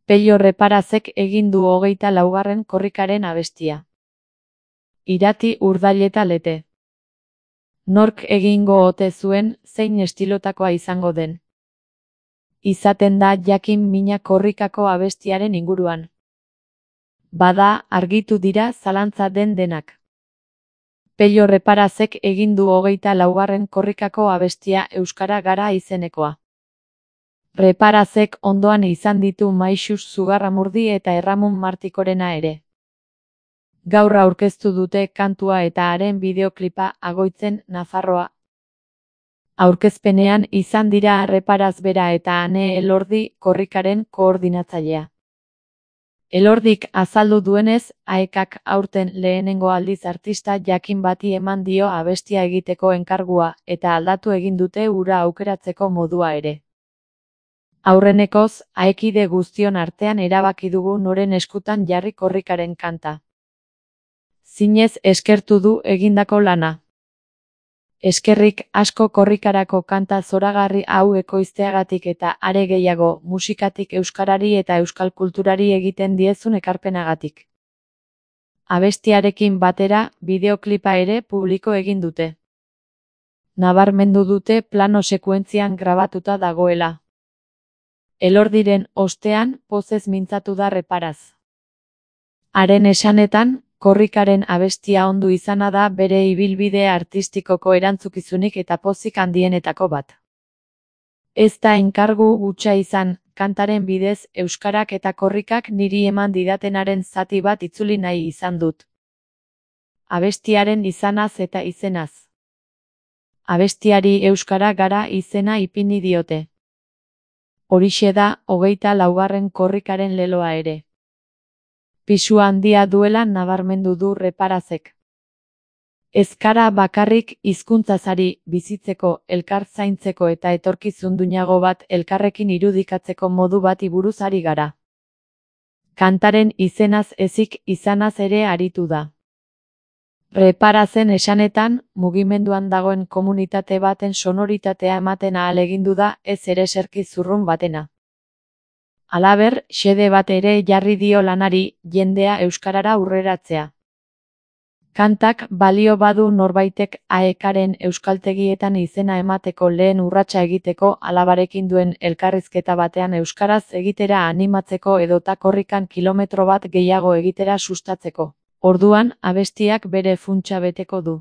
Pello Reparazek egin du 24. korrikaren abestia. Irati Urdaileta Lete. Nork egingo ote zuen, zein estilotakoa izango den. Izaten da jakin mina korrikako abestiaren inguruan. Bada, argitu dira zalantza den denak. Pello Reparazek egin du 24. korrikako abestia Euskara Gara izenekoa. Reparazek ondoan izan ditu Maixus Zugarramurdi eta Erramun Martikorena ere. Gaur aurkeztu dute kantua eta haren bideoklipa Agoitzen, Nafarroa. Aurkezpenean izan dira Reparaz bera eta Ane Elordi korrikaren koordinatzailea. Elordik azaldu duenez, AEKak aurten lehenengo aldiz artista jakin bati eman dio abestia egiteko enkargua eta aldatu egin dute hura aukeratzeko modua ere. Aurrenekoz, aekide guztion artean erabaki dugu noren eskutan jarri korrikaren kanta. Zinez eskertu du egindako lana. Eskerrik asko korrikarako kanta zoragarri hau ekoizteagatik eta are gehiago musikatik euskarari eta euskal kulturari egiten diezun ekarpenagatik. Abestiarekin batera, bideoklipa ere publiko egin dute. Nabarmendu dute plano sekuentzian grabatuta dagoela. Elordiren ostean, pozez mintzatu da Reparaz. Haren esanetan, korrikaren abestia ondu izana da bere ibilbide artistikoko erantzukizunik eta pozik handienetako bat. Ez da enkargu hutsa izan, kantaren bidez euskarak eta korrikak niri eman didatenaren zati bat itzuli nahi izan dut. Abestiaren izanaz eta izenaz. Abestiari Euskara Gara izena ipini diote. Horixe da 24. korrikaren leloa ere. Pisu handia duela nabarmendu du Reparazek. Ez gara bakarrik hizkuntzazari bizitzeko, elkar zaintzeko eta etorkizun duinago bat elkarrekin irudikatzeko modu bati buruz ari gara. Kantaren izenaz ezik izanaz ere aritu da. Reparazen esanetan, mugimenduan dagoen komunitate baten sonoritatea ematen ahalegindu da ez ereserki zurrun batena. Halaber, xede bat ere jarri dio lanari, jendea euskarara aurreratzea. Kantak balio badu norbaitek AEKaren euskaltegietan izena emateko lehen urratsa egiteko alabarekin duen elkarrizketa batean euskaraz egitera animatzeko edota korrikan kilometro bat gehiago egitera sustatzeko. Orduan, abestiak bere funtsa beteko du.